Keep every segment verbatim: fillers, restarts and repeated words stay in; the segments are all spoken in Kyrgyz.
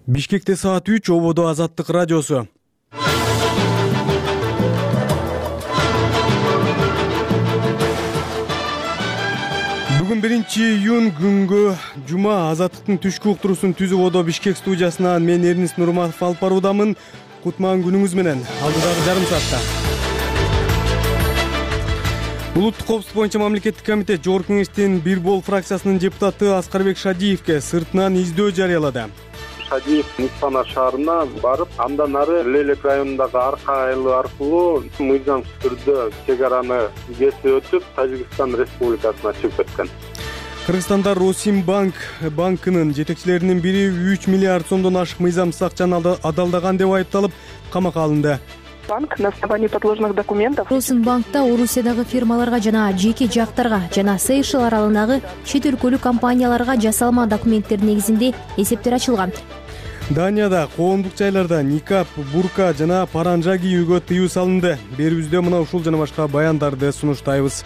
Бишкекте саат үч, ободо Азаттык радиосу. Бүгүн биринчи июнь күнгө жума Азаттыктын түшкү уктуруусун түзүп одо Бишкек студиясынан мен Эрнис Нурматов алып баруудамын. Кутман күнүңүз менен. Алдыдагы жарым саатта Улуттук коопсуздук боюнча мамлекеттик комитет Жогорку кеңештин бир бол фракциясынын депутаты Аскарбек Шадиевке сыртынан издөө жарыялады. Шадиев Нисана шаарына барып, андан ары Лелек районундагы Арка айылы аркылуу мыйзамсыз түрдө чек араны кесип өтүп, Тажикстан Республикасына чыгып кеткен. Кыргызстанда Росимбанк банкынын жетекчилеринин бири үч миллиард сомдон ашык мыйзамсыз акчаны адалдаган деп айыпталып, камакка алынды. Банк на основании подложных документов Росимбанкта Орусиядагы фирмаларга жана жеке жактарга жана Сейшел аралындагы чет өлкөлүк компанияларга жасалма документтер негизинде эсептер ачылган. Данияда коомдук жайларда никап, бурка жана паранжа кийүүгө тыюу салынды. Берүүбүздө мына ушул жана башка баяндарды сунуштайбыз.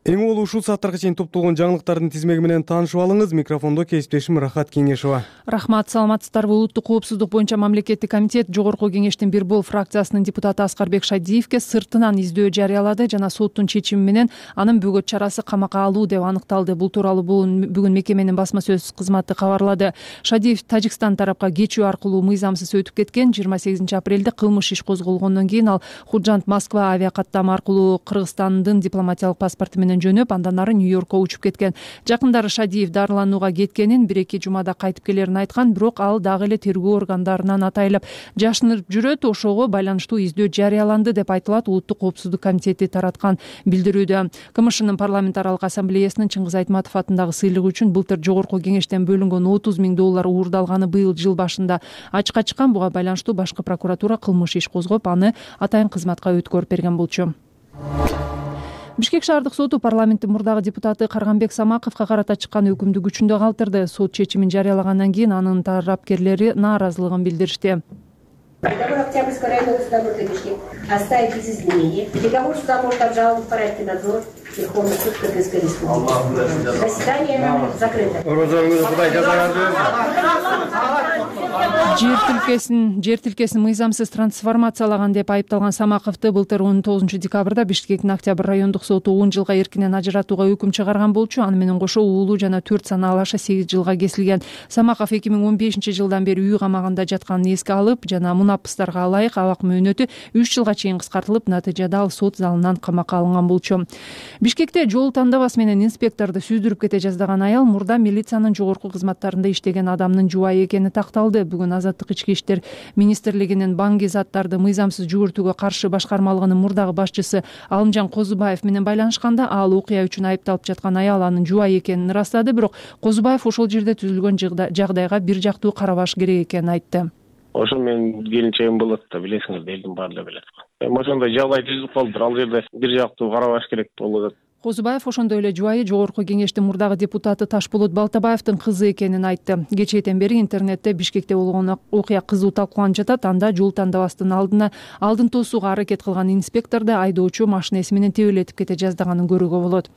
Эң улуу ушул сааттарга чейин топтолгон жаңылыктардын тизмеги менен таанышып алыңыз. Микрофондо кесиптешим Рахат Кеңешова. Рахмат, саламатсыздарбы. Улуттук коопсуздук боюнча мамлекеттик комитет Жогорку кеңештин бир бол фракциясынын депутаты Аскарбек Шадиевке сыртынан издөө жарыялады жана соттун чечими менен анын бөгөт чарасы камакка алуу деп аныкталды. Бул тууралуу бүгүн мекеменин басма сөз кызматы кабарлады. Шадиев Тажикстан тарапка кечүү аркылуу мыйзамсыз өтүп кеткен. жыйырма сегизинчи апрелде кылмыш иш козголгондон кийин ал Худжант Москва авиакаттама аркылуу Кыргызстандын дипломатиялык паспорту менен жөнөп, андан ары Нью-Йоркко учуп кеткен. Жакындары Шадиев дарыланууга кеткенин, бир-эки жумада кайтып келерин айткан, бирок ал дагы эле тергөө органдарынан атайылып жашынып жүрөт. Ошого байланыштуу издөө жарыяланды деп айтылат Улуттук коопсуздук комитети тараткан билдирүүдө. КМШнын парламент аралык ассамблеясынын Чыңгыз Айтматов атындагы сыйлыгы үчүн былтыр Жогорку кеңештен бөлүнгөн отуз миң доллар уурдалганы быйыл жыл башында ачыкка чыккан. Буга байланыштуу башкы прокуратура кылмыш иш козгоп, аны атайын кызматка өткөрүп берген болчу. Бишкек шаардык соту парламенттин мурдагы депутаты Карганбек Самаковго карата чыккан өкүмдү күчүндө калтырды. Сот чечимин жарыялагандан кийин анын тарапкерлери нааразылыгын билдиришти. Договор Октябрьской районного суда города Бишкек оставить без изменений. Договор суда может обжаловать в порядке надзора Верховный суд Кыргызской Республики. Заседание закрыто. Жер тилкесин, жер тилкесин мыйзамсыз трансформациялаган деп айыпталган Самаковду былтыр он тогузунчу декабрда Бишкектин Октябрь райондук соту он жылга эркинен ажыратууга өкүм чыгарган болчу. Аны менен кошо уулу жана төрт санаалы аша сегиз жылга кесилген. Самаков эки миң он бешинчи жылдан бери үй камагында жатканын эске алып, жана мунапыстарга ылайык абак мөөнөтү үч жылга чейин кыскартылып, натыйжада ал сот залынан камакка алынган болчу. Бишкекте жол тандабас менен инспекторду сүйдүрүп кете жаздаган аял мурда милициянын жогорку кызматтарында иштеген адамдын жубайы экени такталды. Бүгүн Азаттык ички иштер министрлигинин банги заттарды мыйзамсыз жүгүртүүгө каршы башкармалыгынын мурдагы башчысы Алымжан Козубаев менен байланышканда, ал окуя үчүн айыпталып жаткан аял анын жубайы экенин ырастады, бирок Козубаев ошол жерде түзүлгөн жагдайга бир жактуу карабаш керек экенин айтты. Ошо менин келинчегим болот да, билесиңер, элдин баары билет. Эми ошондой жагдай түзүлүп калды. Ал жерде бир жактуу карабаш керек болот. Козубаев ошондой эле жубайы Жогорку кеңештин мурдагы депутаты Ташболот Балтабаевдин кызы экенин айтты. Кечээден бери интернетте Бишкекте болгон окуя кызуу талкууланып жатат. Анда жол тандабастын алдына алдын тосууга аракет кылган инспекторду айдоочу машинеси менен тебелетип кете жаздаганын көрүүгө болот.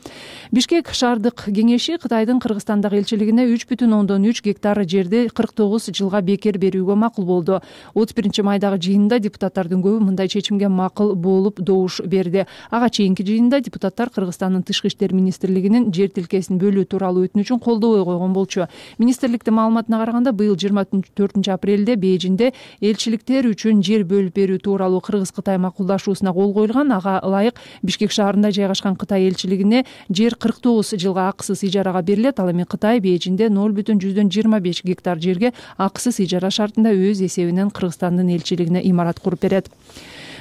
Бишкек шаардык кеңеши Кытайдын Кыргызстандагы элчилигине үч бүтүн ондон үч гектар жерди кырк тогуз жылга бекер берүүгө макул болду. отуз биринчи майдагы жыйында депутаттардын көбү мындай чечимге макул болуп добуш берди. Ага чейинки жыйында депутаттар Кыргызстан Тышкы иштер министрлигинин жер тилкесин бөлүү тууралуу өтүнүчүн колдобой койгон болчу. Министрликтин маалыматына караганда, быйыл жыйырма төртүнчү апрелде Бейжинде элчиликтер үчүн жер бөлүп берүү тууралуу Кыргыз-Кытай макулдашуусуна кол коюлган. Ага ылайык Бишкек шаарында жайгашкан Кытай элчилигине жер кырк тогуз жылга акысыз ижарага берилет. Ал эми Кытай Бейжинде ноль бүтүн жүздөн жыйырма беш гектар жерге акысыз ижара шартында өз эсебинен Кыргызстандын элчилигине имарат куруп берет.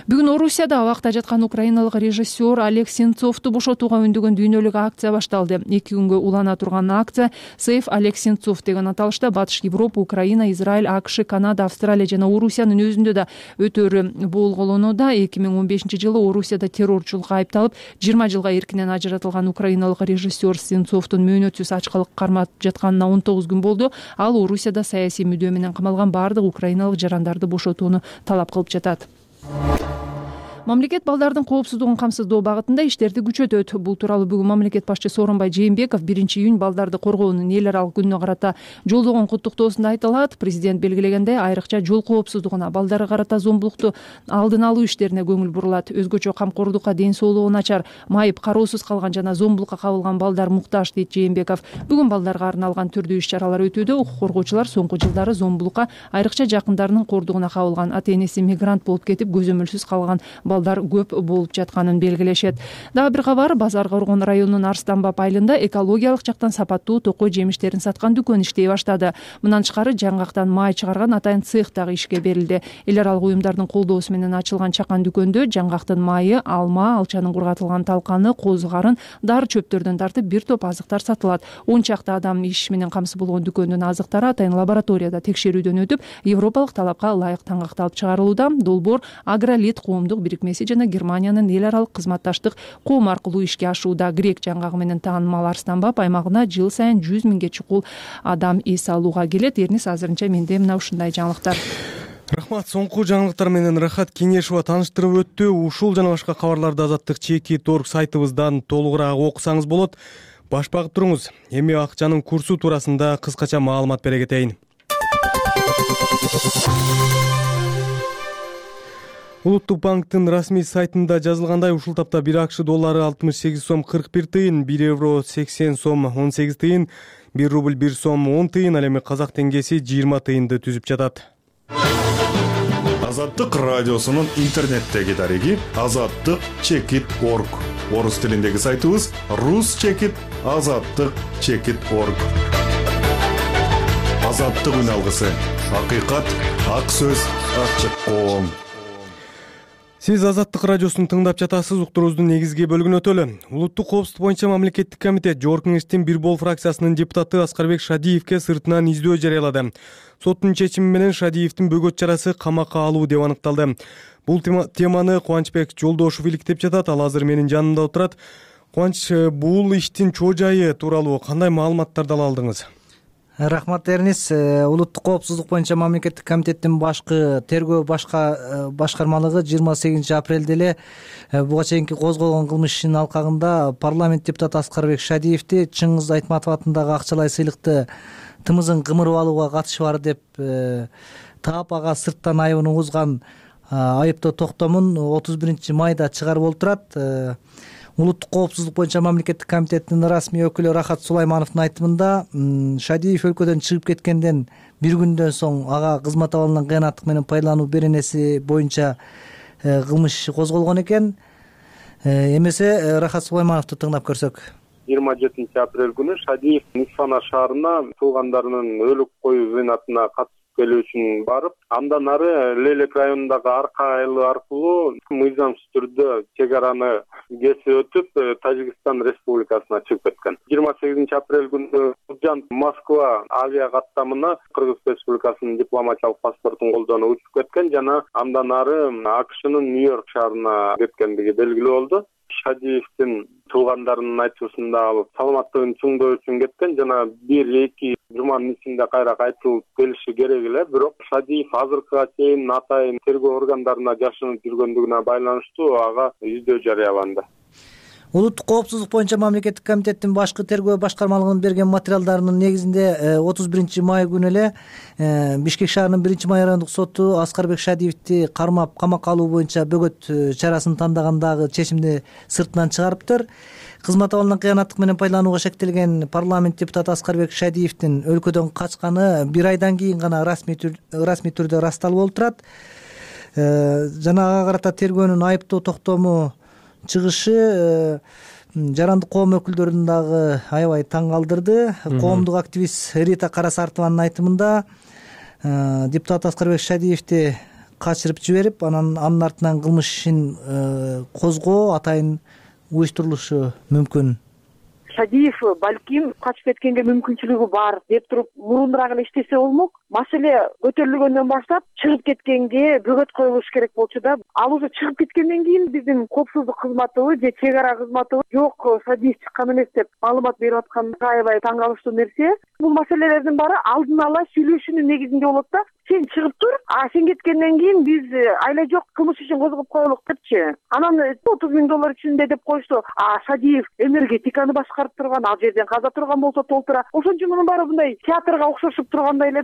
Бүгүн Орусияда абакта жаткан украиналык режиссер Олег Сенцовду бошотууга үндөгөн дүйнөлүк акция башталды. Эки күнгө улана турган акция Save Олег Сенцов деген аталышта Батыш Европа, Украина, Израиль, АКШ, Канада, Австралия жана Орусиянын өзүндө да өтөөрү болголонууда. эки миң он бешинчи жылы Орусияда террорчулукка айыпталып, жыйырма жылга эркинен ажыратылган украиналык режиссер Сенцовдун мөөнөтсүз ачкалык кармап жатканына он тогуз күн болду. Ал Орусияда саясий мүдөө менен камалган бардык украиналык жарандарды бошотууну талап кылып жатат. Мамлекет балдардын коопсуздугун камсыздоо багытында иштерди күчөтөт. Бул тууралуу бүгүн мамлекет башчысы Сооронбай Жээнбеков биринчи июнь балдарды коргоонун эл аралык күнүнө карата жолдогон куттуктоосунда айтылат. Президент белгилегендей, айрыкча жол коопсуздугуна, балдарга карата зомбулукту алдын алуу иштерине көңүл бурулат. Өзгөчө камкордукка, ден соолугу начар, майып, кароосуз калган жана зомбулукка кабылган балдар муктаж, дейт Жээнбеков. Бүгүн балдарга арналган түрдүү иш-чаралар өтүүдө. Укук коргоочулар соңку жылдары зомбулукка, айрыкча жакындарынын кордугуна кабылган, ата-энеси мигрант болуп кетип көзөмөлсүз калган балдар көп болуп жатканын белгилешет. Дагы бир кабар, Базар Коргон районунун Арстанбап айылында экологиялык жактан сапаттуу токой жемиштерин саткан дүкөн иштей баштады. Мындан тышкары жаңгактан май чыгарган атайын цех дагы ишке берилди. Эл аралык уюмдардын колдоосу менен ачылган чакан дүкөндө жаңгактын майы, алма, алчанын кургатылган талканы, козу карын, дары чөптөрдөн тартып бир топ азыктар сатылат. он чакты адам иш менен камсыз болгон дүкөндүн азыктары атайын лабораторияда текшерүүдөн өтүп, европалык талапка ылайык таңгакталып чыгарылууда. Долбоор Агролит коомдук бирикмеси жана Германиянын эл аралык кызматташтык коом аркылуу ишке ашууда. Грек жаңгагы менен таанымал Арстанбап аймагына жыл сайын жүз миңге чукул адам эс алууга келет. Эрнис, азырынча менде мына ушундай жаңылыктар. Рахмат. Соңку жаңылыктар менен Рахат Кеңешова тааныштырып өттү. Ушул жана башка кабарларды Азаттык чекит точка орг сайтыбыздан толугураак окусаңыз болот. Баш багып туруңуз. Эми акчанын курсу туурасында кыскача маалымат бере кетейин. Улуттук банктын расмий сайтында жазылгандай, ушул тапта бир АКШ доллары алтымыш сегиз сом кырк бир тыйын, бир евро сексен сом он сегиз тыйын, бир рубль бир сом он тыйын, ал эми казак теңгеси жыйырма тыйынды түзүп жатат. Азаттык радиосунун интернеттеги дареги азаттык чекит точка орг. Орус тилиндеги сайтыбыз рус чекит азаттык чекит точка орг. Азаттык үн алгысы, акыйкат, ак сөз, ачык коом. Сиз Азаттык радиосун тыңдап жатасыз. Уктуруубуздун негизги бөлүгүнө өтөлү. Улуттук коопсуздук боюнча мамлекеттик комитет Жогорку Кеңештин бир бол фракциясынын депутаты Аскарбек Шадиевке сыртынан издөө жарыялады. Соттун чечими менен Шадиевдин бөгөт чарасы камакка алуу деп аныкталды. Бул теманы Кубанычбек Жолдошов иликтеп жатат. Ал азыр менин жанымда отурат. Кубаныч, бул иштин чоо жайы тууралуу кандай маалыматтарды ала алдыңыз? Рахмат, Эрнис. Улуттук коопсуздук боюнча мамлекеттик комитеттин башкы тергөө башка башкармалыгы жыйырма сегизинчи апрелде эле буга чейинки козголгон кылмыш ишинин алкагында парламент депутаты Аскарбек Шадиевди Чыңгыз Айтматов атындагы акчалай сыйлыкты тымызын кымырып алууга катышы бар деп таап, ага сырттан айыбын угузган айыптоо токтомун отуз биринчи майда чыгарып олтурат. Улуттук коопсуздук боюнча мамлекеттик комитеттин расмий өкүлү Рахат Сулаймановдун айтымында, Шадиев өлкөдөн чыгып кеткенден бир күндөн соң ага кызмат абалынан кыянаттык менен пайдалануу беренеси боюнча кылмыш козголгон экен. Эмесе Рахат Сулаймановду тыңдап көрсөк. жыйырма жетинчи апрель күнү Шадиев Нисфана шаарына туугандарынын өлүк коюу зыйнатына катышып келүү үчүн барып, андан ары Лелек районундагы Арка айылы аркылуу мыйзамсыз түрдө чек араны кесип өтүп, Тажикстан Республикасына чыгып кеткен. жыйырма сегизинчи апрель күнү Жан Москва авиа каттамына Кыргыз Республикасынын дипломатиялык паспортун колдонуп учуп кеткен жана андан ары АКШнын Нью-Йорк шаарына кеткендиги белгилүү болду. Шадиевдин туугандарынын айтуусунда ал саламаттыгын чыңдоо үчүн кеткен жана бир эки жуманын ичинде кайра кайтылып келиши керек эле. Бирок Шадиев азыркыга чейин атайын тергөө органдарына жашынып жүргөндүгүнө байланыштуу ага издөө жарыяланды. Улуттук коопсуздук боюнча мамлекеттик комитеттин башкы тергөө башкармалыгынын берген материалдарынын негизинде отуз биринчи май күнү эле Бишкек шаарынын биринчи май райондук соту Аскарбек Шадиевди кармап камакка алуу боюнча бөгөт чарасын тандагандагы чечимди сыртынан чыгарыптыр. Кызмат абалынан кыянаттык менен пайдаланууга шектелген парламент депутаты Аскарбек Шадиевдин өлкөдөн качканы бир айдан кийин гана расмий түрдө ырасталып олтурат. Жана ага карата тергөөнүн айыптоо токтому чыгышы жарандык коом өкүлдөрүн дагы аябай таң калтырды. Коомдук активист Рита Карасартованын айтымында, депутат Аскарбек Шадиевди качырып жиберип, анан анын артынан кылмыш ишин козгоо атайын уюштурулушу мүмкүн. Шадиев балким качып кеткенге мүмкүнчүлүгү бар деп туруп мурунураак эле иштесе болмок. Маселе көтөрүлгөндөн баштап чыгып кеткенге бөгөт коюлуш керек болчу да. Ал уже чыгып кеткенден кийин биздин коопсуздук кызматыбы же чек ара кызматыбы жок, Шадиев чыккан эмес деп маалымат берип аткан аябай таң калыштуу нерсе. Бул маселелердин баары алдын ала сүйлөшүүнүн негизинде болот да. сен чыгып тур, а сен кеткенден кийин биз айла жок кылмыш ишин козгоп коелук депчи. Анан отуз миң доллар ичинде деп коюшту. А Шадиев энергетиканы башкарып турган, ал жерден каза турган болсо толтура. Ошон үчүн мунун баары мындай театрга окшошуп тургандай эле.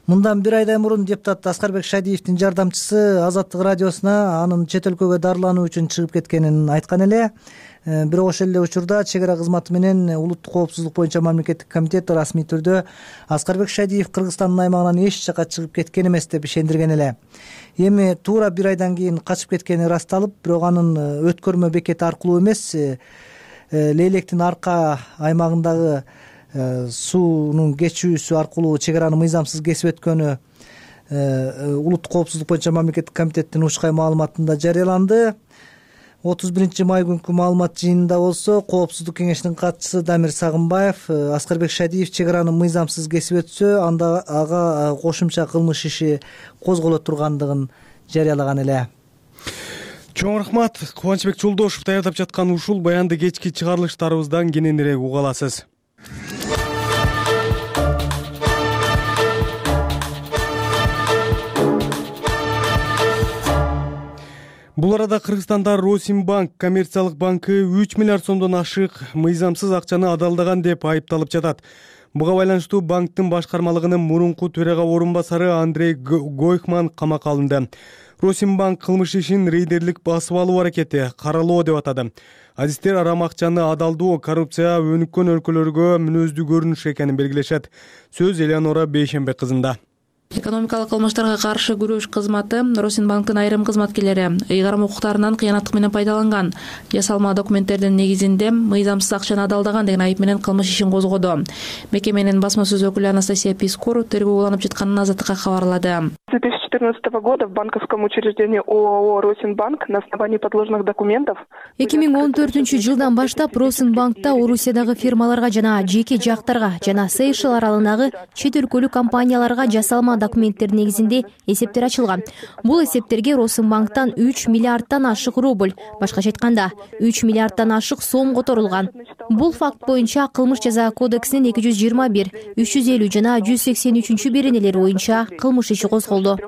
Мындан бир айдай мурун депутат Аскарбек Шадиевдин жардамчысы Азаттык радиосуна анын чет өлкөгө дарылануу үчүн чыгып кеткенин айткан эле. Бирок ошол эле учурда чек ара кызматы менен улуттук коопсуздук боюнча мамлекеттик комитет расмий түрдө Аскарбек Шадиев Кыргызстандын аймагынан эч жакка чыгып кеткен эмес деп ишендирген эле. Эми туура бир айдан кийин качып кеткени ырасталып, бирок анын өткөрмө бекети аркылуу эмес, Лейлектин арка аймагындагы суунун кечүүсү аркылуу чек араны мыйзамсыз кесип өткөнү улуттук коопсуздук боюнча мамлекеттик комитеттин учкай маалыматында жарыяланды. отуз биринчи май күнкү маалымат жыйынында болсо Коопсуздук кеңешинин катчысы Дамир Сагынбаев Аскарбек Шадиев чек араны мыйзамсыз кесип өтсө, анда ага кошумча кылмыш иши козголо тургандыгын жарыялаган эле. Чоң рахмат. Кубанычбек Жолдошев даярдап жаткан ушул баянды кечки чыгарылыштарыбыздан кененирээк уга аласыз. Бул арада Кыргызстанда Росинбанк коммерциялык банкы үч миллиард сомдон ашык мыйзамсыз акчаны адалдаган деп айыпталып жатат. Буга байланыштуу банктын башкармалыгынын мурунку төрага орун басары Андрей Гойхман камакка алынды. Росинбанк кылмыш ишин рейдерлик басып алуу аракети, каралоо деп атады. Адистер арам акчаны адалдоо коррупция өнүккөн өлкөлөргө мүнөздүү көрүнүш экенин белгилешет. Сөз Элеонора Бейшембек кызында. Экономикалык кылмыштарга каршы күрөш кызматы Росинбанктын айрым кызматкерлери ыйгарым укуктарынан кыянаттык менен пайдаланган, жасалма документтердин негизинде мыйзамсыз акчаны адалдаган деген айып менен кылмыш ишин козгоду. Мекеменин басма сөз өкүлү Анастасия Пискор тергөө уланып жатканын Азаттыкка кабарлады. С две тысячи четырнадцатого года в банковском учреждении ООО «Росинбанк» на основании подложных документов эки миң он төртүнчү жылдан баштап Росинбанкта Орусиядагы фирмаларга жана жеке жактарга жана Сейшел аралындагы чет өлкөлүк компанияларга жасалма документтер негизинде эсептер ачылган. Бул эсептерге Росинбанктан үч миллиардтан ашык рубль, башкача айтканда үч миллиардтан ашык сом которулган. Бул факт боюнча Кылмыш жаза кодексинин эки жүз жыйырма бир, үч жүз элүү жана жүз сексен үчүнчү беренелери боюнча кылмыш иши козголду.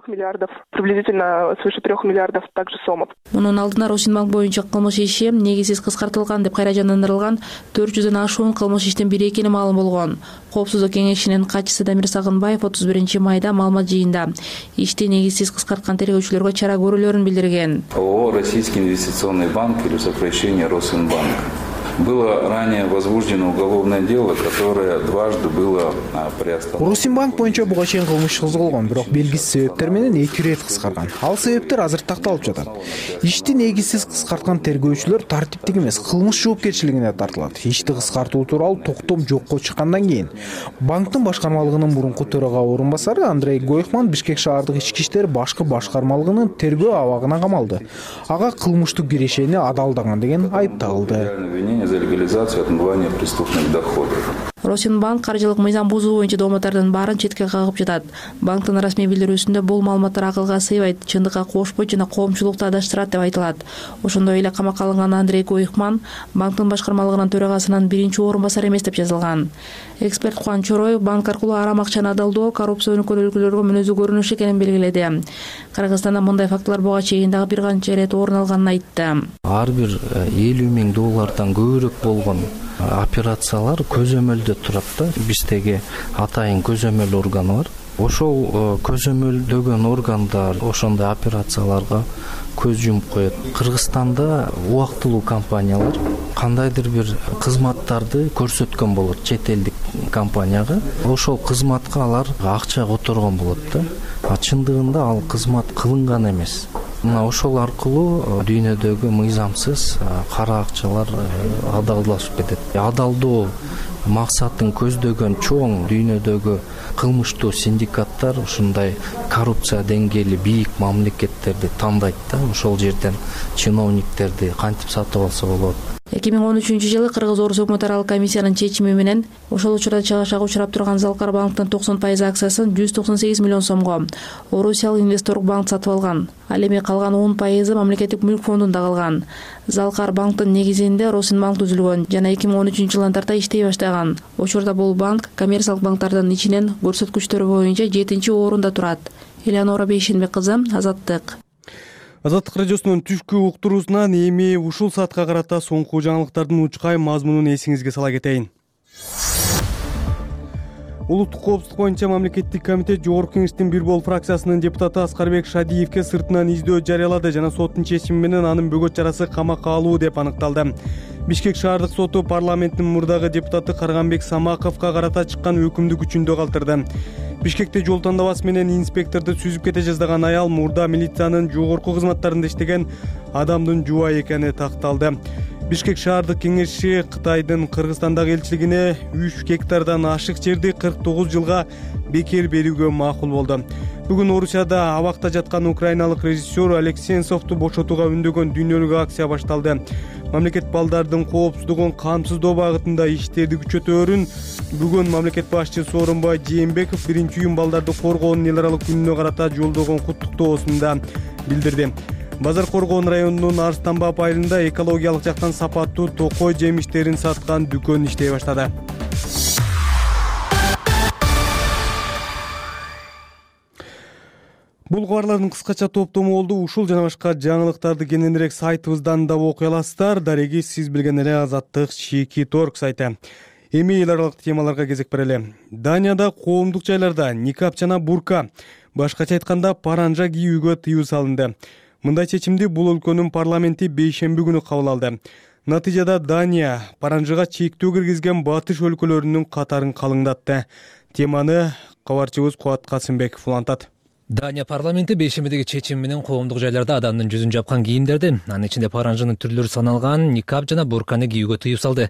Приблизительно свыше трех миллиардов также сомов. Мунун алдына Росинбанк боюнча кылмыш иши негизсиз кыскартылган деп кайра жандандырылган төрт жүздөн ашуун кылмыш иштин бири экени маалым болгон. Коопсуздук кеңешинин катчысы Дамир Сагынбаев отуз биринчи майда маалымат жыйында ишти негизсиз кыскарткан тергөөчүлөргө чара көрүүлөрүн билдирген. ООО «Российский инвестиционный банк» или сокращение «Росинбанк». Было ранее возбуждено уголовное дело, которое дважды было приостановлено. Росинбанк боюнча буга чейин кылмыш козголгон, бирок белгисиз себептер менен эки ирет кыскарган. Ал себептер азыр такталып жатат. Ишти негизсиз кыскарткан тергөөчүлөр тартиптик эмес, кылмыш жоопкерчилигине тартылат. Ишти кыскартуу тууралуу токтом жокко чыккандан кийин банктын башкармалыгынын мурунку төрага орун басары Андрей Гойхман Бишкек шаардык ички иштер башкы башкармалыгынын тергөө абагына камалды. Ага кылмыштык кирешени адалдаган деген айып тагылды. За легализацию отмывания преступных доходов. Росинбанк каржылык мыйзам бузуу боюнча дооматтардын баарын четке кагып жатат. Банктын расмий билдирүүсүндө бул маалыматтар акылга сыйбайт, чындыкка кошпойт жана коомчулукту адаштырат деп айтылат. Ошондой эле камакка алынган Андрей Гойхман банктын башкармалыгынын төрагасынын биринчи орун басары эмес деп жазылган. Эксперт Кубан Чороев банк аркылуу арам акчаны адалдоо коррупция өнүккөн өлкөлөргө мүнөздүү көрүнүш экенин белгиледи. Кыргызстанда мындай фактылар буга чейин дагы бир канча ирет орун алганын айтты. Ар бир элүү миң доллардан көбүрөөк болгон операциялар көзөмөлдө турат да. Биздеги атайын көзөмөл органы бар. Ошол көзөмөлдөгөн органдар ошондой операцияларга көз жумуп коет. Кыргызстанда убактылуу компаниялар кандайдыр бир кызматтарды көрсөткөн болот чет элдик компанияга. Ошол кызматка алар акча которгон болот да. А чындыгында ал кызмат кылынган эмес. Мына ошол аркылуу дүйнөдөгү мыйзамсыз кара акчалар адалдашып кетет. Адалдоо максатын көздөгөн чоң дүйнөдөгү кылмыштуу синдикаттар ушундай коррупция деңгээли бийик мамлекеттерди тандайт да. Ошол жерден чиновниктерди кантип сатып алса болот. эки миң он үчүнчү жылы Кыргыз Орус өкмөт аралык комиссиянын чечими менен ошол учурда чыгашага учурап турган Залкар банктын токсон пайыз акциясын жүз токсон сегиз миллион сомго Орусиялык инвесторлук банк сатып алган. Ал эми калган он пайызы мамлекеттик мүлк фондунда калган. Залкар банктын негизинде Росинбанк түзүлгөн жана эки миң он үчүнчү жылдан тарта иштей баштаган. Учурда бул банк коммерциялык банктардын ичинен көрсөткүчтөрү боюнча жетинчи орунда турат. Элеонора Бейшенбек кызы, Азаттык. Азаттык радиосунун түшкү уктуруусунан эми ушул саатка карата соңку жаңылыктардын учкай мазмунун эсиңизге сала кетейин. Улуттук коопсуздук боюнча мамлекеттик комитет Жогорку Кеңештин бир бол фракциясынын депутаты Аскарбек Шадиевке сыртынан издөө жарыялады жана соттун чечими менен анын бөгөт жарасы камакка алуу деп аныкталды. Бишкек шаардык соту парламенттин мурдагы депутаты Карганбек Самаковго карата чыккан өкүмдү күчүндө калтырды. Бишкекте жол тандабасы менен инспекторду сүзүп кете жаздаган аял мурда милициянын жогорку кызматтарында иштеген адамдын жубайы экени такталды. Бишкек шаардык кеңеши Кытайдын Кыргызстандагы элчилигине үч гектардан ашык жерди кырк тогуз жылга бекер берүүгө макул болду. Бүгүн Орусияда абакта жаткан украиналык режиссер Алексенцовду бошотууга үндөгөн дүйнөлүк акция башталды. Мамлекет балдардын коопсуздугун камсыздоо багытында иштерди күчөтөөрүн бүгүн мамлекет башчысы Сооронбай Жээнбеков биринчи июнь балдарды коргоонун эл аралык күнүнө карата жолдогон куттуктоосунда билдирди. Базар Коргоон районунун Арстанбап айылында экологиялык жактан сапаттуу токой жемиштерин саткан дүкөн иштей баштады. Бул кабарлардын кыскача топтому болду. Ушул жана башка жаңылыктарды кененирээк сайтыбыздан да окуй аласыздар. Дареги сиз билген эле Азаттык Чекит орг сайты. Эми эл аралык темаларга кезек берели. Данияда коомдук жайларда никап жана бурка, башкача айтканда паранжа кийүүгө тыюу салынды. Мындай чечимди бул өлкөнүн парламенти бейшемби күнү кабыл алды. Натыйжада Дания паранжыга чектөө киргизген батыш өлкөлөрүнүн катарын калыңдатты. Теманы кабарчыбыз Кубат Касымбеков улантат. Дания парламенти бейшембидеги чечим менен коомдук жайларда адамдын жүзүн жапкан кийимдерди, анын ичинде паранжынын түрлөрү саналган никап жана бурканы кийүүгө тыюу салды.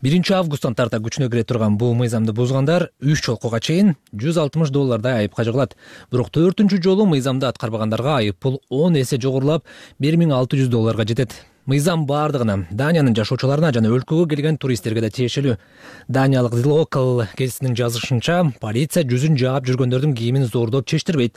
биринчи августтан тарта күчүнө кире турган бул мыйзамды бузгандар үч жолкуга чейин жүз алтымыш доллардай айыпка жыгылат. Бирок төртүнчү жолу мыйзамды аткарбагандарга айып пул он эсе жогорулап бир миң алты жүз долларга жетет. Мыйзам бардыгына, Даниянын жашоочуларына жана өлкөгө келген туристтерге да тиешелүү. Даниялык The Local гезитинин жазышынча, полиция жүзүн жаап жүргөндөрдүн кийимин зордоп чечтирбейт.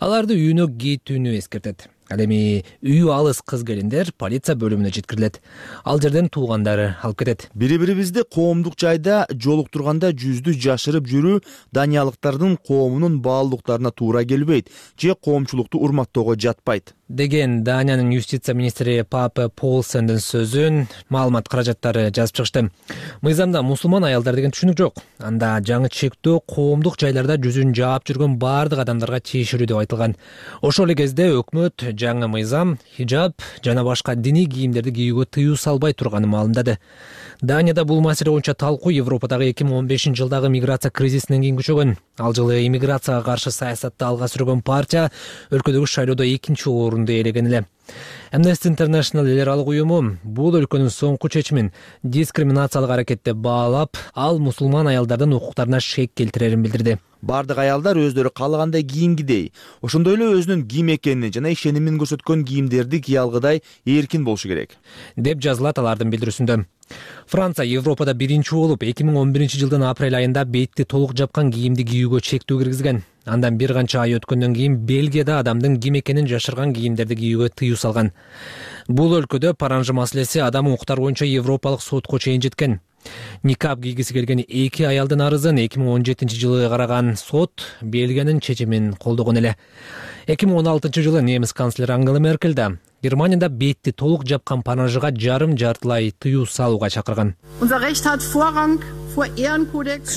Аларды үйүнө кетүүнү эскертет. Ал эми үйү алыс кыз келиндер полиция бөлүмүнө жеткирилет. Ал жерден туугандары алып кетет. Бири-бирибизди коомдук жайда жолуктурганда жүздү жашырып жүрүү даниялыктардын коомунун баалуулуктарына туура келбейт же коомчулукту урматтоого жатпайт деген Даниянын юстиция министри Папе Полсендин сөзүн маалымат каражаттары жазып чыгышты. Мыйзамда мусулман аялдар деген түшүнүк жок. Анда жаңы чектөө коомдук жайларда жүзүн жаап жүргөн бардык адамдарга тиешелүү деп айтылган. Ошол эле кезде өкмөт жаңы мыйзам хижаб жана башка диний кийимдерди кийүүгө тыюу салбай турганын маалымдады. Данияда бул маселе боюнча талкуу Европадагы эки миң он бешинчи жылдагы миграция кризисинен кийин күчөгөн. Ал жылы иммиграцияга каршы саясатты алга сүргөн партия өлкөдөгү шайлоодо экинчи орунду ээлеген эле. Amnesty International эл аралык уюму бул өлкөнүн соңку чечимин дискриминациялык аракет деп баалап, ал мусулман аялдардын укуктарына шек келтирерин билдирди. Бардык аялдар өздөрү каалагандай кийингидей, ошондой эле өзүнүн ким экенин жана ишенимин көрсөткөн кийимдерди кие алгыдай эркин болушу керек, деп жазылат алардын билдирүүсүндө. Франция Европада биринчи болуп эки миң он биринчи жылдын апрель айында бетти толук жапкан кийимди кийүүгө чектөө киргизген. Андан бир канча ай өткөндөн кийин Бельгияда адамдын ким экенин жашырган кийимдерди кийүүгө тыюу салган. Бул өлкөдө паранжы маселеси адам укуктары боюнча Европалык сотко чейин жеткен. Никап кийгиси келген эки аялдын арызын эки миң он жетинчи жылы караган сот Бельгиянын чечимин колдогон эле. эки миң он алтынчы жылы немис канцлери Ангела Меркель да Германияда бетти толук жапкан паранжыга жарым жартылай тыюу салууга чакырган.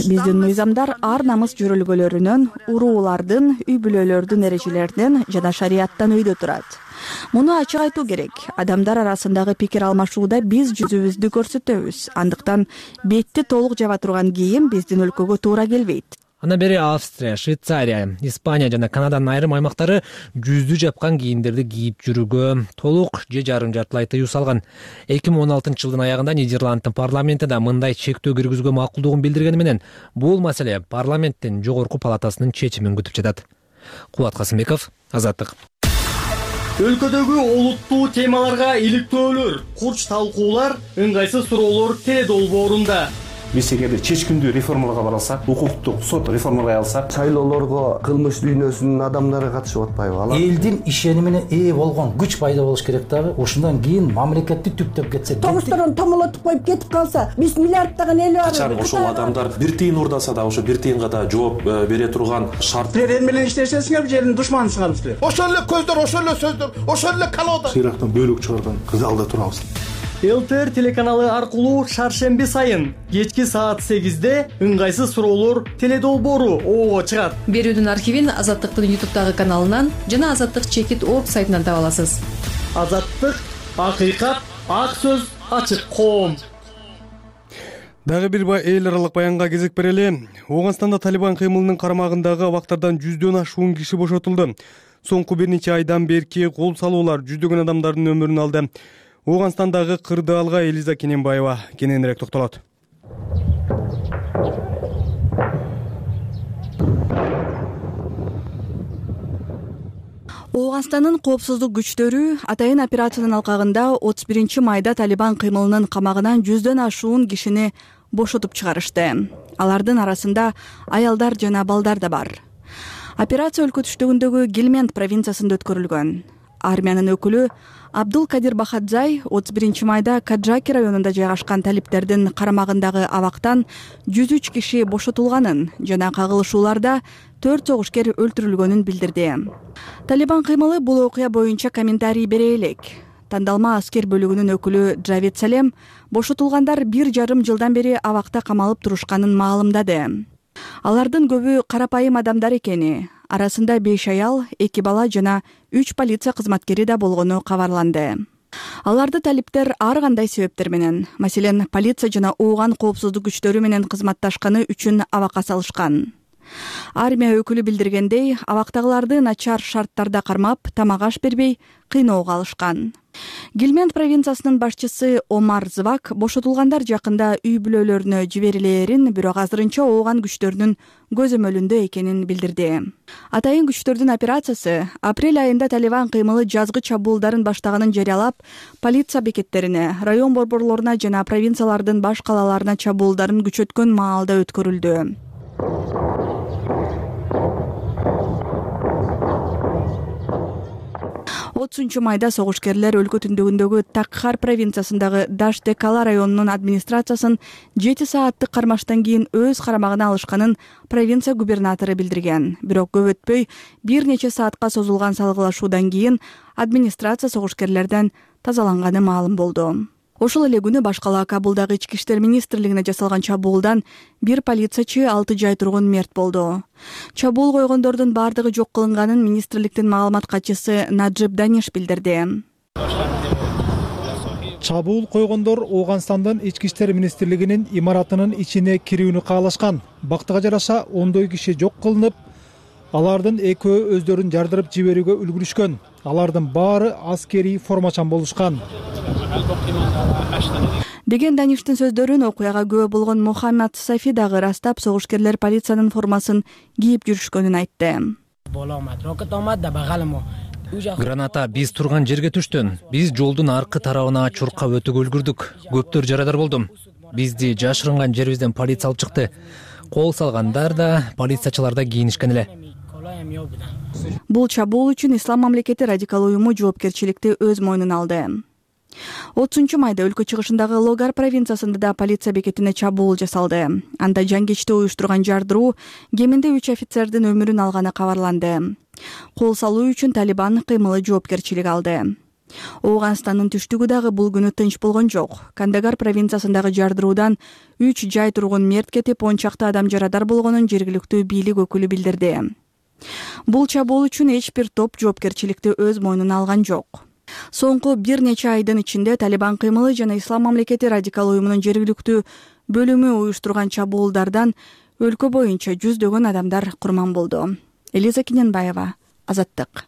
Биздин мыйзамдар ар намыс жөрөлгөлөрүнөн, уруулардын, үй бүлөлөрдүн эрежелеринен жана шарияттан өйдө турат. Муну ачык айтуу керек. Адамдар арасындагы пикир алмашууда биз жүзүбүздү көрсөтөбүз. Андыктан бетти толук жаба турган кийим биздин өлкөгө туура келбейт. Андан бери Австрия, Швейцария, Испания жана Канаданын айрым аймактары жүздү жапкан кийимдерди кийип жүрүүгө толук же жарым жартылай тыюу салган. эки миң он алтынчы жылдын аягында Нидерланддын парламенти да мындай чектөө киргизүүгө макулдугун билдиргени менен бул маселе парламенттин жогорку палатасынын чечимин күтүп жатат. Кубат Касымбеков, Азаттык. өлкөдөгү олуттуу темаларга иликтөөлөр, курч талкуулар, ыңгайсыз суроолор теле долбоорунда. Биз эгерде чечкиндүү реформаларга бара алсак, укуктук сот реформалай алсак, шайлоолорго кылмыш дүйнөсүнүн адамдары катышып атпайбы? Алар элдин ишенимине ээ болгон күч пайда болуш керек дагы. Ошондон кийин мамлекетти түптөп кетсек. Тогустардан томолотуп коюп кетип калса, биз миллиарддаган эл бар. Качан ошол адамдар бир тыйын урдаса да, ошо бир тыйынга да жооп бере турган шарт. Силер эл менен иштесеңиздер, же элдин душманысыңарбы силер? Ошол эле көздөр, ошол эле сөздөр, ошол эле колода. Сыйрактан бөлүк чыгарган залда турабыз. ЛТР телеканалы аркылуу шаршемби сайын кечки саат сегизде ыңгайсыз суроолор теле долбоору оого чыгат. Берүүнүн архивин Азаттыктын ютубтагы каналынан жана Азаттык чекит орг сайтынан таба аласыз. Азаттык, акыйкат, ак сөз, ачык коом. Дагы бир эл аралык баянга кезек берели. Ооганстанда Талибан кыймылынын карамагындагы абактардан жүздөн ашуун киши бошотулду. Соңку бир нече айдан берки кол салуулар жүздөгөн адамдардын өмүрүн алды. Ооганстандагы кырдаалга Элиза Кененбаева кененирээк токтолот. Ооганстандын коопсуздук күчтөрү атайын операциянын алкагында отуз биринчи майда Талибан кыймылынын камагынан жүздөн ашуун кишини бошотуп чыгарышты. Алардын арасында аялдар жана балдар да бар. Операция өлкө түштүгүндөгү Гельмент провинциясында өткөрүлгөн. Армиянын өкүлү Абдул Кадир Бахадзай отуз биринчи майда Каджаки районунда жайгашкан талиптердин карамагындагы абактан жүз үч киши бошотулганын жана кагылышууларда төрт согушкер өлтүрүлгөнүн билдирди. Талибан кыймылы бул окуя боюнча комментарий бере элек. Тандалма аскер бөлүгүнүн өкүлү Джавед Салем бошотулгандар бир жарым жылдан бери абакта камалып турушканын маалымдады. Алардын көбү карапайым адамдар экени, арасында беш аял, эки бала жана үч полиция кызматкери да болгону кабарланды. Аларды талиптер ар кандай себептер менен, маселен, полиция жана ооган коопсуздук күчтөрү менен кызматташканы үчүн абакка салышкан. Армия өкүлү билдиргендей, абактагыларды начар шарттарда кармап, тамак аш бербей, кыйноого алышкан. Гельмент провинциясынын башчысы Омар Звак бошотулгандар жакында үй бүлөлөрүнө жиберилээрин, бирок азырынча ооган күчтөрүнүн көзөмөлүндө экенин билдирди. Атайын күчтөрдүн операциясы апрель айында Талибан кыймылы жазгы чабуулдарын баштаганын жарыялап, полиция бекеттерине, район борборлоруна жана провинциялардын баш калаларына чабуулдарын күчөткөн маалда өткөрүлдү. отузунчу майда согушкерлер өлкө түндүгүндөгү Такхар провинциясындагы Даштекала районунун администрациясын жети сааттык кармаштан кийин өз карамагына алышканын провинция губернатору билдирген. Бирок көп өтпөй бир нече саатка созулган салгылашуудан кийин администрация согушкерлерден тазаланганы маалым болду. Ошол эле күнү башкала Кабулдагы ички иштер министрлигине жасалган чабуулдан бир полициячы алты жай тургун мерт болду. Чабуул койгондордун бардыгы жок кылынганын министрликтин маалымат катчысы Наджиб Даниш билдирди. Чабуул койгондор Ооганстандын ички иштер министрлигинин имаратынын ичине кирүүнү каалашкан. Бактыга жараша ондой киши жок кылынып, алардын экөө өздөрүн жардырып жиберүүгө үлгүрүшкөн. Алардын баары аскерий формачан болушкан. Деген Даништин сөздөрүн окуяга күбө болгон Мухаммад Сафи дагы ырастап, согушкерлер полициянын формасын кийип жүрүшкөнүн айтты. Граната биз турган жерге түштү. Биз жолдун аркы тарабына чуркап өтүүгө үлгүрдүк. Көптөр жарадар болду. Бизди жашырынган жерибизден полиция алып чыкты. Кол салгандар да, полициячылар да кийинишкен эле. Бул чабуул үчүн Ислам мамлекети радикал уюму жоопкерчиликти өз мойнуна алды. отузунчу майда өлкө чыгышындагы Логар провинциясында да полиция бекетине чабуул жасалды. Анда жангечти уюштурган жардыруу кеминде үч офицердин өмүрүн алганы кабарланды. Кол салуу үчүн Талибан кыймылы жоопкерчилик алды. Ооганстандын түштүгү дагы бул күнү тынч болгон жок. Кандагар провинциясындагы жардыруудан үч жай тургун мерт кетип, он чакты адам жарадар болгонун жергиликтүү бийлик өкүлү билдирди. Бул чабуул үчүн эч бир топ жоопкерчиликти өз мойнуна алган жок. Соңку бир нече айдын ичинде Талибан кыймылы жана Ислам мамлекети радикал уюмунун жергиликтүү бөлүмү уюштурган чабуулдардан өлкө боюнча жүздөгөн адамдар курман болду. Элиза Кененбаева, Азаттык.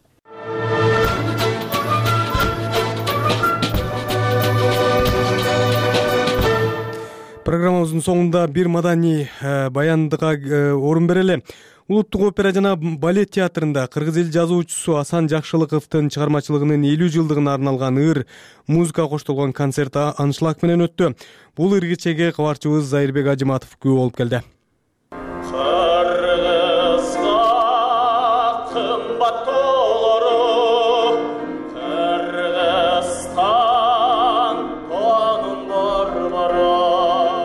Программабыздын соңунда бир маданий баяндыга орун берели. Улуттук опера жана балет театрында кыргыз эл жазуучусу Асан Жакшылыковдун чыгармачылыгынын элүү жылдыгына арналган ыр музыка коштолгон концерт аншлаг менен өттү. Бул ыр кечеге кабарчыбыз Зайырбек Ажыматов күбө болуп келди.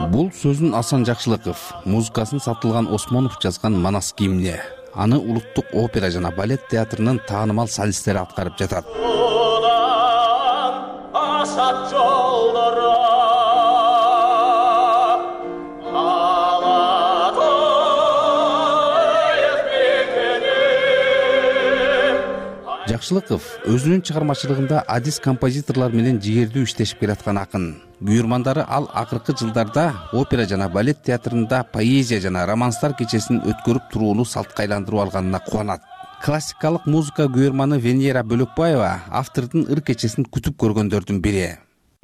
Бул сөзүн Асан Жакшылыков, музыкасын Сатылган Осмонов жазган Манас гимни. Аны Улуттук опера жана балет театрынын таанымал солисттери аткарып жатат. Жакшылыков өзүнүн чыгармачылыгында адис композиторлор менен жигердүү иштешип келаткан акын. Буйрмандары ал акыркы жылдарда опера жана балет театрында поэзия жана романстар кечесин өткөрүп турууну салтка айландырып алганына кубанат. Классикалык музыка күйөрманы Венера Бөлөкбаева автордун ыр кечесин күтүп көргөндөрдүн бири.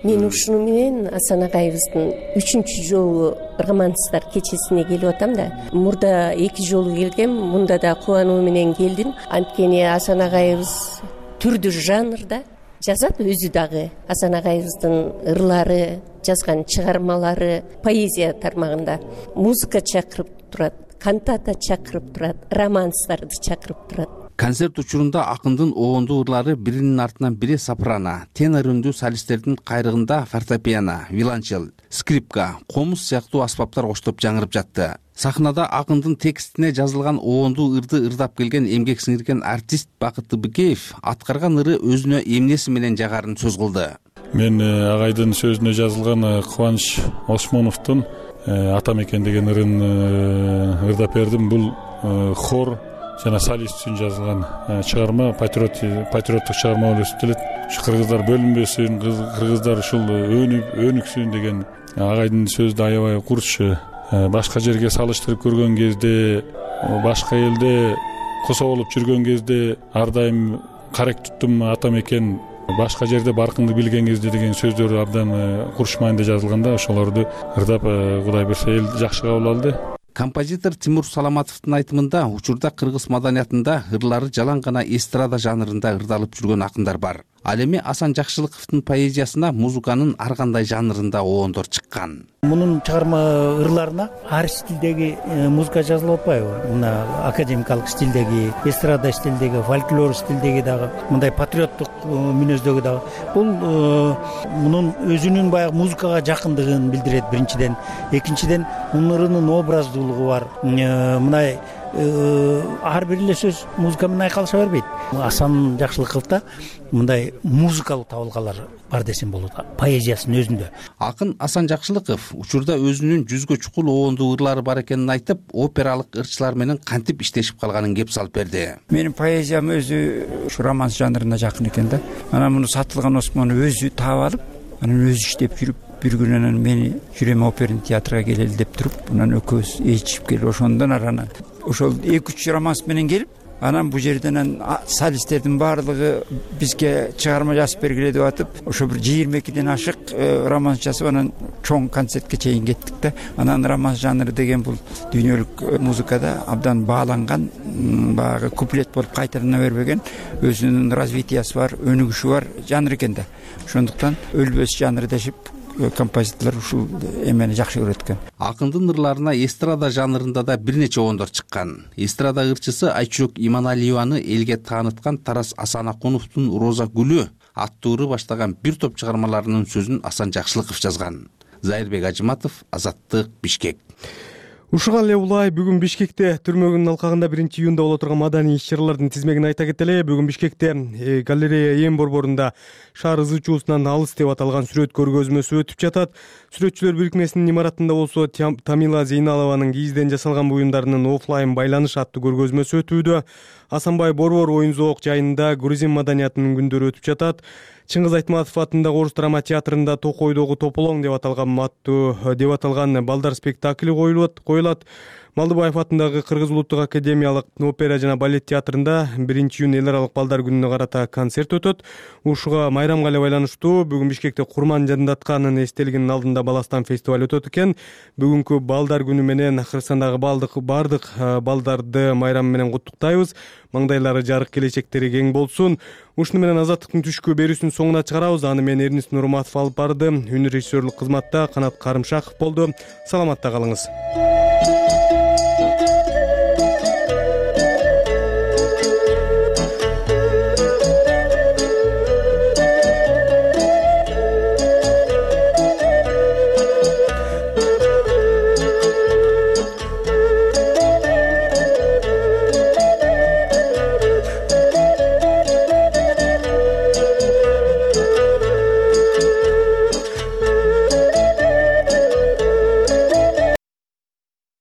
Мен ушуну менен Асан агайыбыздын үчүнчү жолу романстар кечесине келип атам да. Мурда эки жолу келгем, мында да кубануу менен келдим. Анткени Асан агайыбыз түрдүү жанрда жазат өзү дагы. Асан агайыбыздын ырлары, жазган чыгармалары поэзия тармагында музыка чакырып турат, кантата чакырып турат, романстарды чакырып турат. Концерт учурунда акындын оондуу ырлары биринин артынан бири сопрано, тенор үндүү солисттердин кайрыгында фортепиано, виолончел, скрипка, комуз сыяктуу аспаптар коштоп жаңырып жатты. Сахнада акындын текстине жазылган оондуу ырды ырдап келген эмгек сиңирген артист Бакыт Быкеев аткарган ыры өзүнө эмнеси менен жагарын сөз кылды. Мен агайдын сөзүнө жазылган Кубаныч Осмоновдун Атам экен деген ырын ырдап бердим. Бул хор жана солист үчүн жазылган чыгарма, патриоттук чыгарма болуп эсептелет. Ушу кыргыздар бөлүнбөсүн, кыргыздар ушул өнүксүн деген агайдын сөздү аябай курчу. Башка жерге салыштырып көргөн кезде, башка элде косо болуп жүргөн кезде ар дайым карек туттум атам экен, башка жерде баркынды билген кезде деген сөздөр абдан курч маанайда жазылганда ошолорду ырдап Кудай берсе эл жакшы кабыл алды. Композитор Тимур Саламатовдун айтымында учурда кыргыз маданиятында ырлары жалаң гана эстрада жанрында ырдалып жүргөн акындар бар. Ал эми Асан Жакшылыковдун поэзиясына музыканын ар кандай жанрында оондор чыккан. Мунун чыгарма ырларына ар стилдеги музыка жазылып атпайбы? Мына академикалык стилдеги, эстрада стилдеги, фольклор стилдеги дагы, мындай патриоттук мүнөздөгү дагы. Бул мунун өзүнүн баягы музыкага жакындыгын билдирет биринчиден. Экинчиден, мунун ырынын образдуулугу бар. Мындай ар бир эле сөз музыка менен айкалыша бербейт. Асан Жакшылыковдо мындай музыкалык табылгалар бар десем болот, поэзиясынын өзүндө. Акын Асан Жакшылыков учурда өзүнүн жүзгө чукул оондуу ырлары бар экенин айтып, опералык ырчылар менен кантип иштешип калганын кеп салып берди. Менин поэзиям өзү ушу романс жанрына жакын экен да. Анан муну Сатылган Осмонов өзү таап алып, анан өзү иштеп жүрүп, бир күнү анан мени жүрөм оперный театрга келели деп туруп, анан экөөбүз ээлчишип келип, ошондон анан ошол эки үч романс менен келип, анан бул жерден солисттердин баардыгы бизге чыгарма жазып бергиле деп атып, ошо бир жыйырма экиден ашык романс жазып, анан чоң концертке чейин кеттик да. Анан романс жанры деген бул дүйнөлүк музыкада абдан бааланган, баягы куплет болуп кайталана бербеген, өзүнүн развитиясы бар, өнүгүшү бар жанр экен да. Ошондуктан өлбөс жанр дешип композиторлор ушул эмени жакшы көрөт экен. Акындын ырларына эстрада жанрында да бир нече оондор чыккан. Эстрада ырчысы Айчүрөк Иманалиеваны элге тааныткан Тарас Асанакуновдун Роза гүлү аттуу ыры баштаган бир топ чыгармаларынын сөзүн Асан Жакшылыков жазган. Зайырбек Ажыматов, Азаттык, Бишкек. Ушуга эле улай бүгүн Бишкекте түрмөгүнүн алкагында биринчи июнда боло турган маданий иш-чаралардын тизмегин айта кетели. Бүгүн Бишкекте галерея ээн борборунда шаар ызычуусунан алыс деп аталган сүрөт көргөзмөсү өтүп жатат. Сүрөтчүлөр бирикмесинин имаратында болсо Тамила Зейналованын кийизден жасалган буюмдарынын оффлайн байланыш аттуу көргөзмөсү өтүүдө. Асанбай борбор оюн зоок жайында грузин маданиятынын күндөрү өтүп жатат. Чыңгыз Айтматов атындагы Орус драма театрында Токойдогу Тополоң деп аталган аттуу деп аталган балдар спектакли коюлат. Малдыбаев атындагы Кыргыз улуттук академиялык опера жана балет театрында биринчи июнь эл аралык балдар күнүнө карата концерт өтөт. Ушуга майрамга эле байланыштуу бүгүн Бишкекте Курман Жандатканын эстелигинин алдында Баластан фестиваль өтөт экен. Бүгүнкү балдар күнү менен Кыргызстандагы балдык бардык балдарды майрам менен куттуктайбыз. Маңдайлары жарык, келечектери кең болсун. Ушуну менен Азаттыктын түшкү берүүсүнүн соңуна чыгарабыз. Аны мен Эрнис Нурматов алып барды. Үн режиссерлук кызматта Канат Карымшаков болду. Саламатта калыңыз.